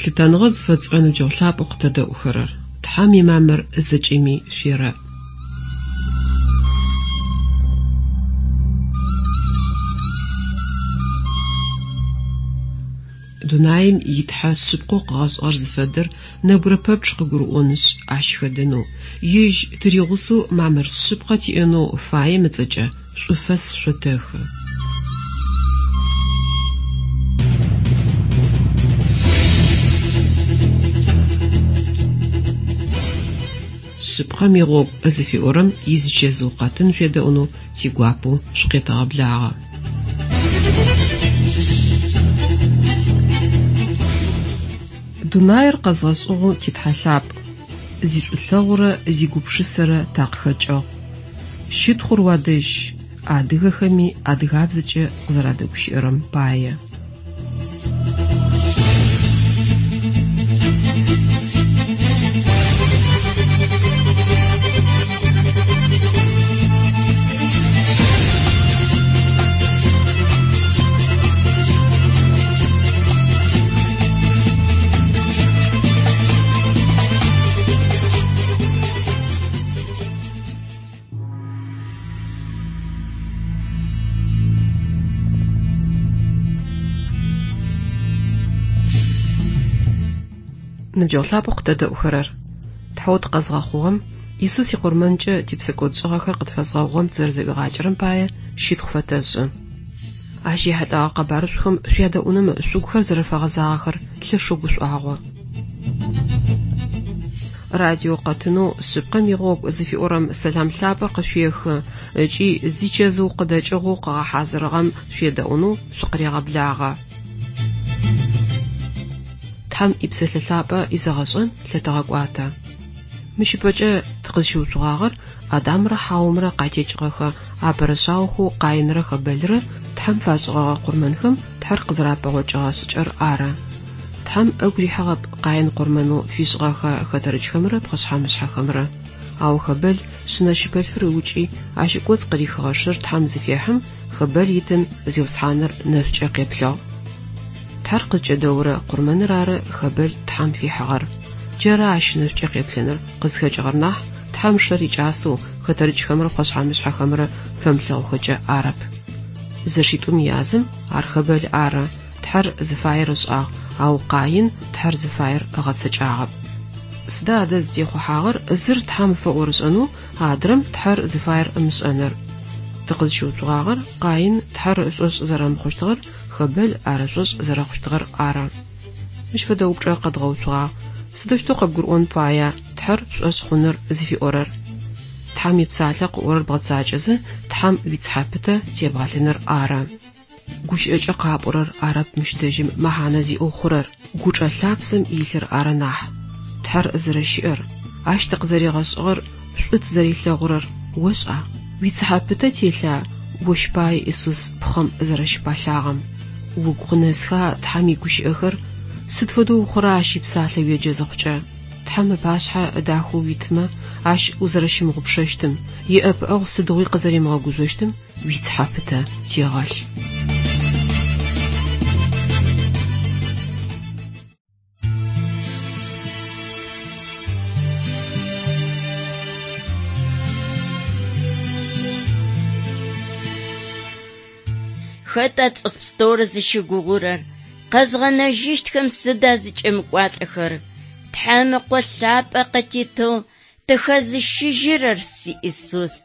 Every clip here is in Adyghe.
Лъытэныгъэ зыфэтшӏырэ ныбджэгъу лъапӏэу къытэдэӏухэрэр, Тхьэм имамыр зэкӏэми шъуерэӏ. Дунаим и Тхьэ шъыпкъэу къыгъэшӏыгъэр зыфэдэр нэбгырэ пэпчъ къыгурыӏонышъ, ащ хэдэнэу, ежь тыригъусэу мамыр шъыпкъэ тиӏэнэу фаем ыцӏэкӏэ шӏуфэс шъотэхы. Шъыпкъэм игъогу зыфиӏорэм изычэзыу къэтын шъуедэӏунэу тигуапэу шъукъетэгъэблагъэ. Дунаир къэзгъэшӏыгъэу ти Тхьэ лъапӏ, зишӏулъэгъурэ зигупшысэрэ такъыхэкӏыгъ. Щытхъур уадэжь, адыгэхэми адыгабзэкӏэ къызэрадэгущыӏэрэм пае. Ныбджэгъу лъапӏэу къытэдэӏухэрэр, Тхьэу тыкъэзгъэхъугъэм, Исус икъурмэнкӏэ типсэкӏодшӏыгъэхэр къытфэзгъэгъугъэм тызэрэзэӏуигъакӏэрэм пае щытхъу фэтэшӏы. Ащ ехьылӏэгъэ къэбарышӏухэм шъуядэӏуным шъугухэр зэрэфэгъэзагъэхэр лъэшэу гушӏуагъо. Радио къэтынэу Шъыпкъэм игъогу зыфиӏорэм сэлам лъапӏэ къышъуехы ыкӏи зичэзыу къыдэкӏыгъоу къыгъэхьазырыгъэм шъуедэӏунэу шъукъырегъэблагъэ. Тхьэм и Псэлъэ Лъапӏэ изэгъэшӏэн лъэтэгъэкӏуатэ. Мыщ ыпэкӏэ тыкъызщыуцугъагъэр Адамрэ Хьаомрэ къатекӏыгъэхэ апэрэ шъаохэу Къаинрэ Хэбэлрэ Тхьэм фашӏыгъэгъэ къурмэнхэм Тхьэр къызэрапэгъокӏыгъэ шӏыкӏэр ары. Тхьэм ыгу рихьыгъэп Къаин къурмэнэу фишӏыгъэхэ хэтэрыкӏхэмрэ пхъэшъхьэ-мышъхьэхэмрэ. Ау Хэбэл шъынэ-щыпэлъфыр ыукӏи, ащ ыкӏоцӏ къырихыгъэ шыр Тхьэм зыфехьым, Хэбэл итын Зиусхьаныр нэшӏукӏэ къеплъыгъ. Тхьэр къызкӏэдэурэ къурмэныр ары Хэбэл Тхьэм фихьыгъэр. Джары ащ нэшӏукӏэ къеплъыныр къызхэкӏыгъэр нахь, Тхьэм шэр икӏасэу, хэтэрыкӏхэмрэ пхъэшъхьэ-мышъхьэхэмрэ фэмылъэгъухэкӏэ арэп. Зэшитӏум язым, ар Хэбэл ары, Тхьэр зыфаер ышӏагъ, ау Къаин Тхьэр зыфаер ыгъэцэкӏагъэп. Сыда адэ зытехъухьагъэр зыр Тхьэм фэӏорышӏэнэу, адрэм Тхьэр зыфаер ымышӏэныр? Тыкъызщыуцугъагъэр Къаин Тхьэр ышӏошъ зэрэмыхъущтыгъэр, Хэбэл ар ышӏошъ зэрэхъущтыгъэр ары. Мыщ фэдэ упчӏэ къэдгъэуцугъагъ, Сыдэущтэу къэбгурыӏон фая Тхьэр пшӏошъ хъуныр зыфиӏорэр? Тхьэм ипсалъэ къыӏорэр бгъэцакӏэзэ, Тхьэм уицыхьэ пытэ тебгъэлъыныр ары. Гущыӏэкӏэ къапӏорэр арэп мыщ дэжьым мэхьанэ зиӏэу хъурэр, гучӏэ лъапсэм илъыр ары нахь. Тхьэр зэрэщыӏэр, Ащ тыкъызэригъэшӏыгъэр, шӏу тызэрилъэгъурэр ошӏа? Уицыхьэ пытэ телъа ощ пае Исус пхъэм зэрэщыпалъагъэм? Угу къынэсха Тхьэм игущыӏэхэр? Сыд фэдэу ухъура Ащ ипсалъэ уеджэ зыхъукӏэ? Тхьэм ыпашъхьэ дахэу уитмэ, Ащ узэрэщымыгъупшэщтым, иӏэпыӏэгъу сыдигъуи къызэримыгъэгужъощтым уицыхьэ пытэ тегъэлъ. Хэта цӏыф пстэур зыщыгугъурэр? Къэзгъэнэжьыщтхэм сыда зыкӏэмыкӏуалӏэхэр? Тхьэм Ыкъо лъапӏэ къытитыгъ, тыхэзыщыжьырэр си Исус.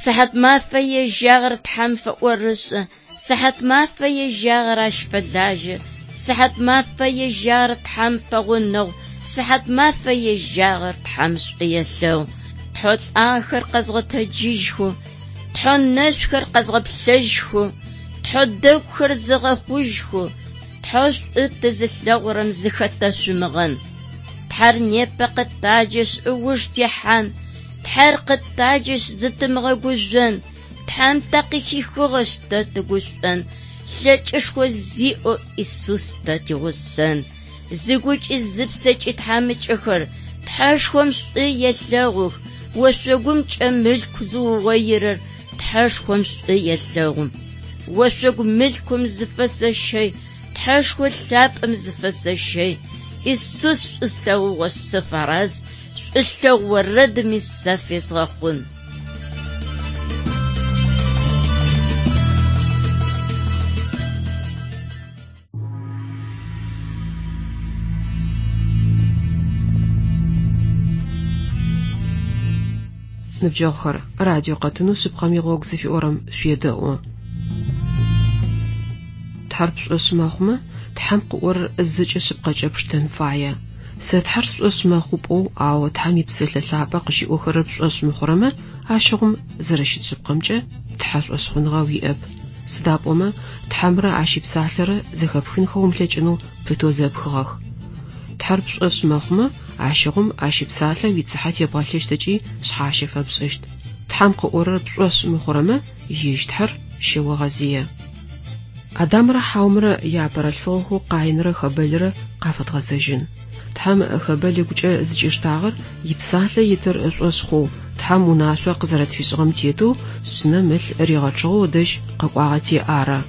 Сыхьат мафэ ежьагъэр Тхьэм фэӏорышӏэ, сыхьат мафэ ежьагъэр ащ фэлажьэ, сыхьат мафэ ежьагъэр Тхьэм пэгъунэгъу, сыхьат мафэ ежьагъэр Тхьэм шӏу елъэгъу. Тхьэу лӏагъэхэр къэзгъэтэджыжьхэу, Тхьэу нэшъухэр къэзгъэплъэжьхэу, Тхьэу дэгухэр зыгъэхъужьхэу, Тхьэу шӏу тызылъэгъурэм зыхэтэшъумыгъэн. Тхьэр непэ къытаджэшъ ыуж техьан, Тхьэр къытаджэшъ зытымыгъэгужъон, Тхьэм такъыхихыгъэшъ тэ тыгушӏон, лъэкӏышхо зиӏэу Исус тэ тигъусэн. Зыгукӏи зыпсэкӏи тхьамыкӏэхэр Тхьэшхом шӏу елъэгъух, ошъогумкӏэ мылъку зыугъоирэр Тхьэшхом шӏу елъэгъу. Ошъогу мылъкум зыфэсэщэй, Тхьэшхо лъапӏэм зыфэсэщэй. Исус шӏу слъэгъугъэшъ сыфэраз, шӏулъэгъу орэдми сэ фезгъэхъун. Ныбджэгъухэр, радио къэтынэу Шъыпкъэм игъогу зыфиӏорэм шъуедэӏу. Тхьэр пшӏошъ мэхъумэ, Тхьэм къыӏорэр зэкӏэ шъыпкъэкӏэ пштэн фае. Сэ Тхьэр сшӏошъ мэхъу пӏоу, ау Тхьэм и Псэлъэ Лъапӏэ къыщиӏохэрэр пшӏошъ мыхъурэмэ, ащыгъум зэрэщыт шъыпкъэмкӏэ Тхьэ шӏошъхъуныгъэ уиӏэп. Сыда пӏомэ Тхьэмрэ Ащ ипсалъэрэ зэхэпхынхэ умылъэкӏынэу пытэу зэпхыгъэх. Тхьэр пшӏошъ мэхъумэ, ащыгъум Ащ ипсалъэ уицыхьэ тебгъэлъыщт ыкӏи шъхьащэ фэпшӏыщт. Тхьэм къыӏорэр пшӏошъ мыхъурэмэ, ежь Тхьэр щэогъэзые. Адамрэ Хьаумрэ яапэрэ лъфыгъэхэу Къаинрэ Хэбэлрэ къафэдгъэзэжьын. Тхьэм Хэбэл ыгукӏэ зыкӏиштагъэр ипсалъэ итыр ышӏошъ хъоу, Тхьэм унашъо къызэрэтфишӏыгъэм тетэу шъынэм ылъ ригъэчъыгъэу ыдэжь къэкӏуагъэти ары.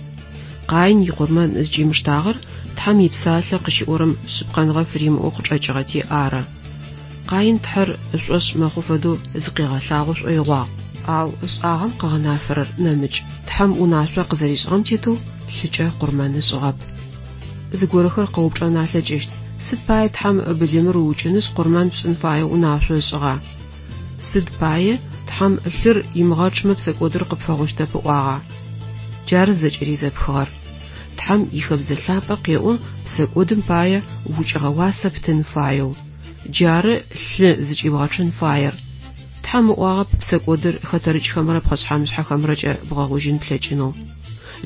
Къаин икъурмэн зыкӏимыштагъэр Тхьэм ипсалъэ къыщиӏорэм шъыпкъэныгъэ фыримыӏэу къычӏэкӏыгъэти ары. Къаин Тхьэр ышӏошъ мэхъу фэдэу зыкъигъэлъагъо шӏоигъуагъ. Ау ышӏагъэм къыгъэнафэрэр нэмыкӏ. Тхьэм унашъо къызэришӏыгъэм тетэу лъыкӏэ къурмэн ышӏыгъэп. Зыгорэхэр къэупчӏэн алъэкӏыщт. Сыд пае Тхьэм былымыр уукӏынышъ къурмэн пшӏын фаеу унашъо ышӏыгъа? Сыд пае Тхьэм лъыр имыгъэчъмэ псэкӏодыр къыпфэгъущтэп ыӏуагъа? Джары зэкӏэри зэпхыгъэр. Тхьэм ихэбзэ лъапӏэ къеӏо псэкӏодым пае укӏыгъэ уасэ птын фаеу. Джары лъы зыкӏибгъэчъын фаер. Тхьэм ыӏуагъэп псэкӏодыр хэтэрыкӏхэмрэ пхъэшъхьэ-мышъхьэхэмрэкӏэ бгъэгъужьын плъэкӏынэу.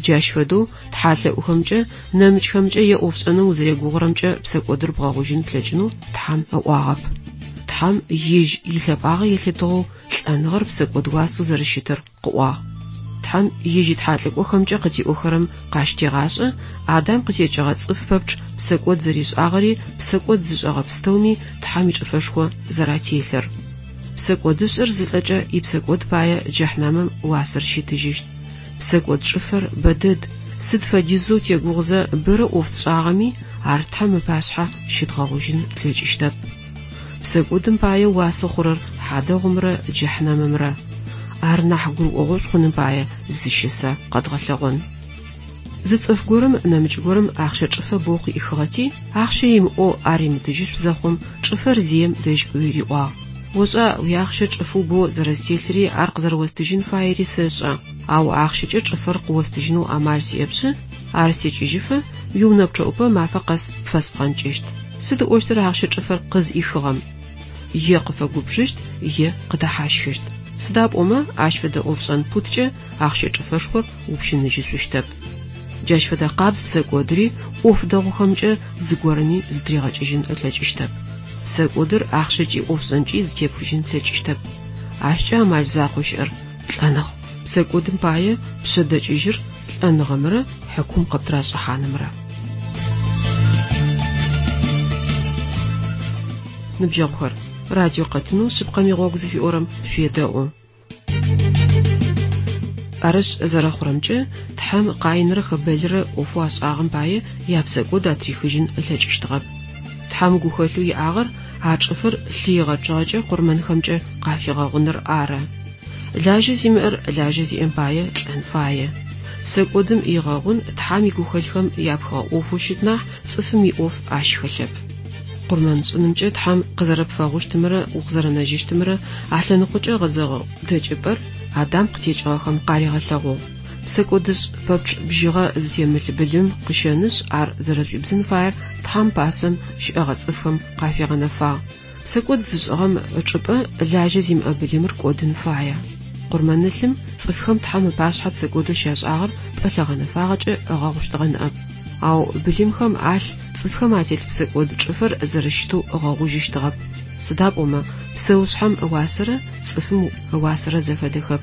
Джащ фэдэу тхьалъэӏухэмкӏэ, нэмыкӏхэмкӏэ е ӏофшӏэным узэрегугъурэмкӏэ псэкӏодыр бгъэгъужьын плъэкӏынэу Тхьэм ыӏуагъэп. Тхьэм ежь илъэпӏагъэ елъытыгъэу лӏэныгъэр псэкӏод уасэу зэрэщытыр къыӏуагъ. Тхьэм ежь итхьалӏыкӏохэмкӏэ къытиӏохэрэм къащтегъашӏэ Адам къытекӏыгъэ цӏыф пэпчъ псэкӏод зэришӏагъэри псэкӏод зышӏэгъэ пстэуми Тхьэм ичӏыфэшхо зэрателъыр. Псэкӏодышӏэр зылӏэкӏэ ипсэкӏод пае джэхьнэмым уасэр щитыжьыщт. Псэкӏод чӏыфэр бэдэд, сыд фэдизэу тегугъузэ бэрэ ӏоф тшӏагъэми, ар Тхьэм ыпашъхьэ щыдгъэгъужьын тлъэкӏыщтэп. Псэкӏодым пае уасэ хъурэр хьадэгъумрэ джэхьнэмымрэ. Ар нахь гурыӏогъошӏу хъуным пае зы щысэ къэдгъэлъэгъон. Зы цӏыф горэм нэмыкӏ горэм ахъщэ чӏыфэ боу къыӏихыгъэти, ахъщэ имыӏэу ар ымытыжьышъу зэхъум, чӏыфэр зием дэжь кӏуи риӏуагъ: Ошӏа, уиахъщэ чӏыфэу боу зэрэстелъыри ар къызэрэостыжьын фаери сэшӏэ, ау ахъщэкӏэ чӏыфэр къыостыжьынэу амал сиӏэпшъы, ар стекӏыжьыфэ уиунэ пчъэӏупэ мафэ къэс пфэспхъэнкӏыщт. Сыд ыӏощтыр ахъщэ чӏыфэр къызӏихыгъэм? Е къыфэгубжыщт, е къыдэхьащхыщт. Сыда пӏомэ ащ фэдэ ӏофшӏэн путкӏэ ахъщэ чӏыфэшхор упщыныжьышъущтэп. Джащ фэдэ къабз псэкӏодыри ӏоф дэгъухэмкӏэ зыгорэми зытыригъэкӏыжьын ылъэкӏыщтэп. Псэкӏодыр ахъщэкӏи ӏофшӏэнкӏи зытепхыжьын плъэкӏыщтэп. Ащкӏэ амал закъоу щыӏэр лӏэныгъ. Псэкӏодым пае пшъэдэкӏыжьыр лӏэныгъэмрэ хьыкум къыптырашӏыхьанымрэ. Ныбджэгъухэр, радио къэтынэу Шъыпкъэм игъогу зыфиӏорэм шъуедэӏу. Арышъ, зэрэхъурэмкӏэ, Тхьэм Къаинрэ Хэбэлрэ ӏофэу ашӏагъэм пае япсэкӏод атрихыжьын ылъэкӏыщтыгъэп. Тхьэм гухэлъэу иӏагъэр а чӏыфэр лъы игъэчъыгъэкӏэ къурмэнхэмкӏэ къафигъэгъуныр ары. Лажьэ зимыӏэр лажьэ зиӏэм пае лӏэн фае. Псэкӏодым игъэгъун Тхьэм игухэлъхэм япхыгъэ ӏофэу щыт нахь цӏыфым иӏоф ащ хэлъэп. Къурмэн шӏынымкӏэ Тхьэм къызэрэпфэгъущтымрэ укъызэрэнэжьыщтымрэ алъэныкъокӏэ гъэзэгъэ дэкӏыпӏэр Адам къытекӏыгъэхэм къаригъэлъэгъугъ. Псэкӏодышӏ пэпчъ бжьыгъэ зытемылъ былым къыщэнышъ, ар зэрэшӏуибзын фаер Тхьэм пасэм щыӏэгъэ цӏыфхэм къафигъэнэфагъ. Псэкӏод зышӏыгъэм ычӏыпӏэ лажьэ зимыӏэ былымыр кӏодын фае. Къурмэнылъым цӏыфхэм Тхьэм ыпашъхьэ псэкӏодэу щашӏагъэр пӏэлъэ гъэнэфагъэкӏэ ыгъэгъущтыгъэ ныӏэп. Ау былымхэм алъ цӏыфхэм ателъ псэкӏод чӏыфэр зэрэщытэу ыгъэгъужьыщтыгъэп. Сыда пӏомэ псэушъхьэм ыуасэрэ цӏыфым ыуасэрэ зэфэдэхэп.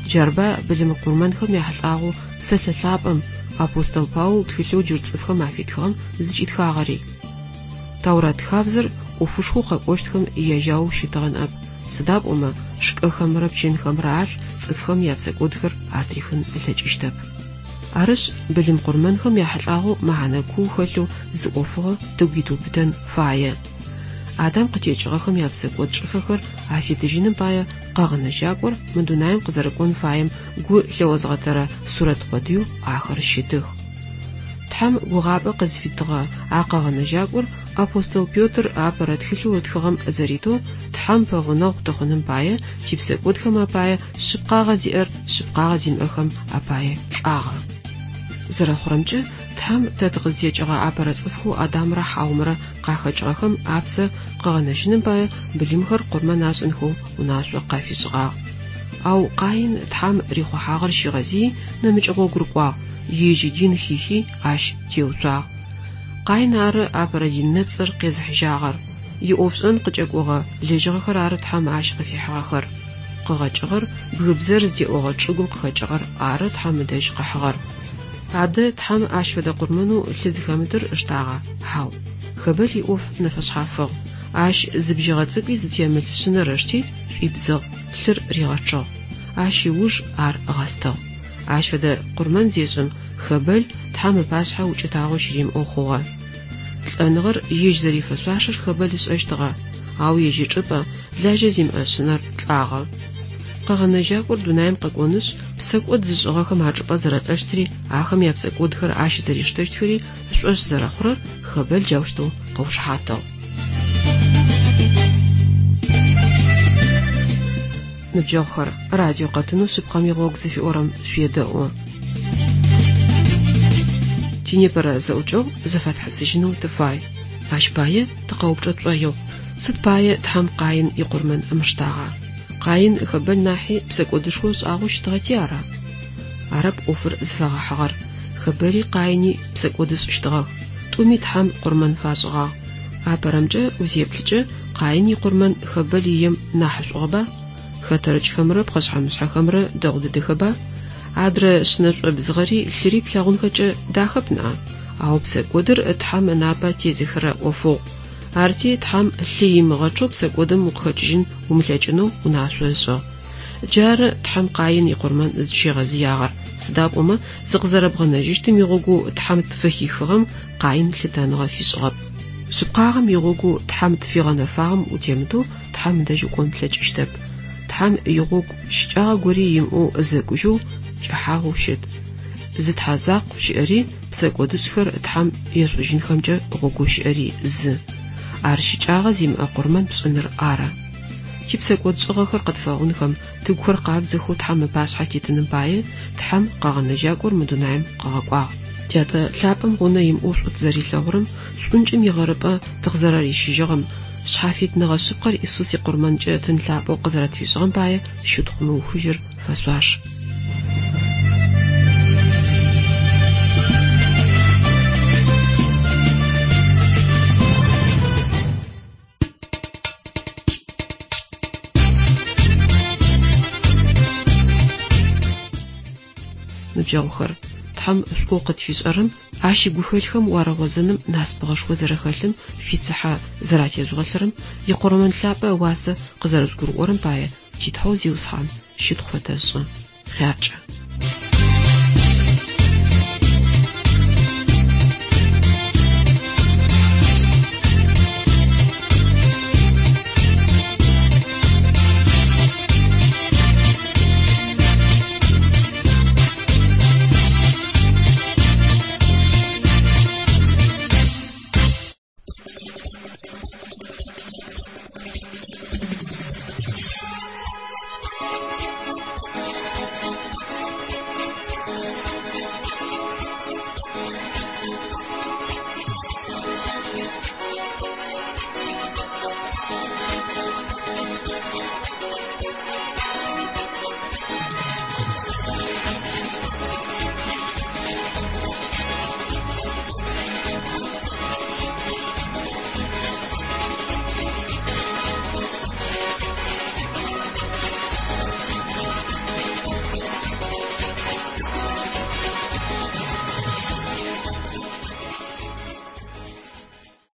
Джарба былым къурмэнхэм яхьылӏагъэу псэлъэ лъапӏэм апостол Паул тхылъэу джыр цӏыфхэм афитхыгъэм зыкӏитхагъэри. Таурат хабзэр ӏофышхоу къэкӏощтхэм яжьаоу щытыгъэ ныӏэп. Сыда пӏомэ шкӏэхэмрэ пчэнхэмрэ алъ цӏыфхэм япсэкӏодхэр атрихын ылъэкӏыщтэп. Арышъ, былым къурмэнхэм яхьылӏагъэу мэхьанэ куу хэлъэу зы ӏофыгъо тыгу итыубытэн фае. Адам къытекӏыгъэхэм япсэкӏод чӏыфэхэр афитыжьыным пае Къэгъэнэжьакӏор мы дунаим къызэрэкӏон фаем гу лъыозгъэтэрэ сурэт къодыеу ахэр щытых. Тхьэм гугъапӏэ къызфитыгъэ а Къэгъэнэжьакӏор апостол Петр апэрэ тхылъэу ытхыгъэм зэритэу, Тхьэм пэгъунэгъу тыхъуным пае, типсэкӏодхэм апае шъыпкъагъэ зиӏэр шъыпкъагъэ зимыӏэхэм апае лӏагъэ. Зэрэхъурэмкӏэ, Тхьэм тэ тыкъызтекӏыгъэ апэрэ цӏыфхэу Адамрэ Хьаумрэ къахэкӏыгъэхэм апсэ къыгъэнэжьыным пае былымхэр къурмэн ашӏынхэу унашъо къафишӏыгъагъ. Ау Къаин Тхьэм рихъухьагъэр щигъэзыий, нэмыкӏ гъогу рыкӏуагъ, ежь идин хихи, ащ теуцуагъ. Къаин ары апэрэ дин нэпцӏыр къезыхьыжьагъэр. Иӏофшӏэн къыкӏэкӏогъэ лэжьыгъэхэр ары Тхьэм ащ къыфихьыгъэхэр. Къыгъэкӏыгъэр, бгыбзэр зытеӏогъэ чӏыгум къыхэкӏыгъэр ары Тхьэм ыдэжь къыхьыгъэр. Адэ Тхьэм ащ фэдэ къурмэнэу лъы зыхэмытыр ыштагъа? Хьау. Хэбэл иӏоф нэфэшъхьафыгъ. Ащ зы бжьыгъэ цӏыкӏуи зытемылъ шъынэр ышти, шӏуибзыгъ, лъыр ригъэчъыгъ. Ащ ыуж ар ыгъэстыгъ. Ащ фэдэ къурмэн зешӏым, Хэбэл Тхьэм ыпашъхьэ укӏытагъо щыримыӏэу хъугъэ. Лӏэныгъэр ежь зэрифэшъуашэр Хэбэл ышӏэщтыгъэ, ау ежь ычӏыпӏэ, лажьэ зимыӏэ шъынэр лӏагъэ. Къэгъэнэжьакӏор дунаим къэкӏонышъ, псэкӏод зышӏыгъэхэм ачӏыпӏэ зэрэлӏэщтри, ахэм япсэкӏодхэр ащ зэриштэщтхэри ышӏошъ зэрэхъурэр Хэбэл джаущтэу къыушыхьатыгъ. Ныбджэгъухэр, радио къэтынэу Шъыпкъэм игъогу зыфиӏорэм шъуедэӏу. Тинепэрэ зэӏукӏэгъу зэфэтхьысыжьынэу тыфай. Ащ пае тыкъэупчӏэ тшӏоигъу, сыд пае Тхьэм Къаин икъурмэн ымыштагъа? Къаин Хэбэл нахьи псэкӏодышхо ышӏагъэу щытыгъэти ара? Арэп ӏофыр зыфэгъэхьыгъэр. Хэбэли Къаини псэкӏод ышӏыщтыгъэх. Тӏуми Тхьэм къурмэн фашӏыгъагъ. Апэрэмкӏэ узеплъыкӏэ, Къаин икъурмэн Хэбэл ием нахьышӏугъэба? Хэтэрыкӏхэмрэ пхъэшъхьэ-мышъхьэхэмрэ дэгъу дэдэхэба? Адрэ шъынэ шӏобзыгъэри лъыри плъэгъунхэкӏэ дахэп ныӏа? Ау псэкӏодыр Тхьэм ынапэ тезыхырэ ӏофыгъу. Арти Тхьэм лъы имыгъэчъэу псэкӏодым укъыхэкӏыжьын умылъэкӏынэу унашъо ышӏыгъ. Джары Тхьэм Къаин икъурмэн зыкӏыщигъэзыягъэр, сыда пӏомэ зыкъызэрэбгъэнэжьыщтым игъогоу Тхьэм тфыхихыгъэм Къаин лъытэныгъэ фишӏыгъэп. Шъыпкъагъэм игъогоу Тхьэм тфигъэнэфагъэм утемытэу Тхьэм ыдэжь укӏон плъэкӏыщтэп. Тхьэм игъогу щыкӏагъэ гори имыӏэу зэкӏужьэу, кӏыхьагъэу щыт. Зы Тхьэ закъу щыӏэри, псэкӏодышӏхэр Тхьэм ешӏужьынхэмкӏэ гъогоу щыӏэри зы. Ар щыкӏагъэ зимыӏэ къурмэн пшӏыныр ары. Типсэкӏодшӏыгъэхэр къытфэгъунхэм, тыгухэр къабзэхэу Тхьэм ыпашъхьэ титыным пае, Тхьэм Къэгъэнэжьакӏор мы дунаим къыгъэкӏуагъ. Тятэ лъапӏэм гъунэ имыӏэу шӏу тызэрилъэгъурэм, шӏункӏым игъэрыпӏэ тыкъызэрэрищыжьыгъэм, шъхьафитныгъэ шъыпкъэр Исус икъурмэнкӏэ тын лъапӏэу къызэрэтфишӏыгъэм пае щытхъу мыухыжьыр фэшъуаш. Ныбджэгъухэр, Тхьэм шӏоу къытфишӏэрэм, Ащ игухэлъхэм уарыгъозэным насыпыгъэшхо зэрэхэлъым шъуицыхьэ зэратежъугъэлъырэм, икъурмэн лъапӏэ ыуасэ къызэрэжъугурыӏорэм пае ти Тхьэу Зиусхьан щытхъу фэтэшӏы. Хъяркӏэ.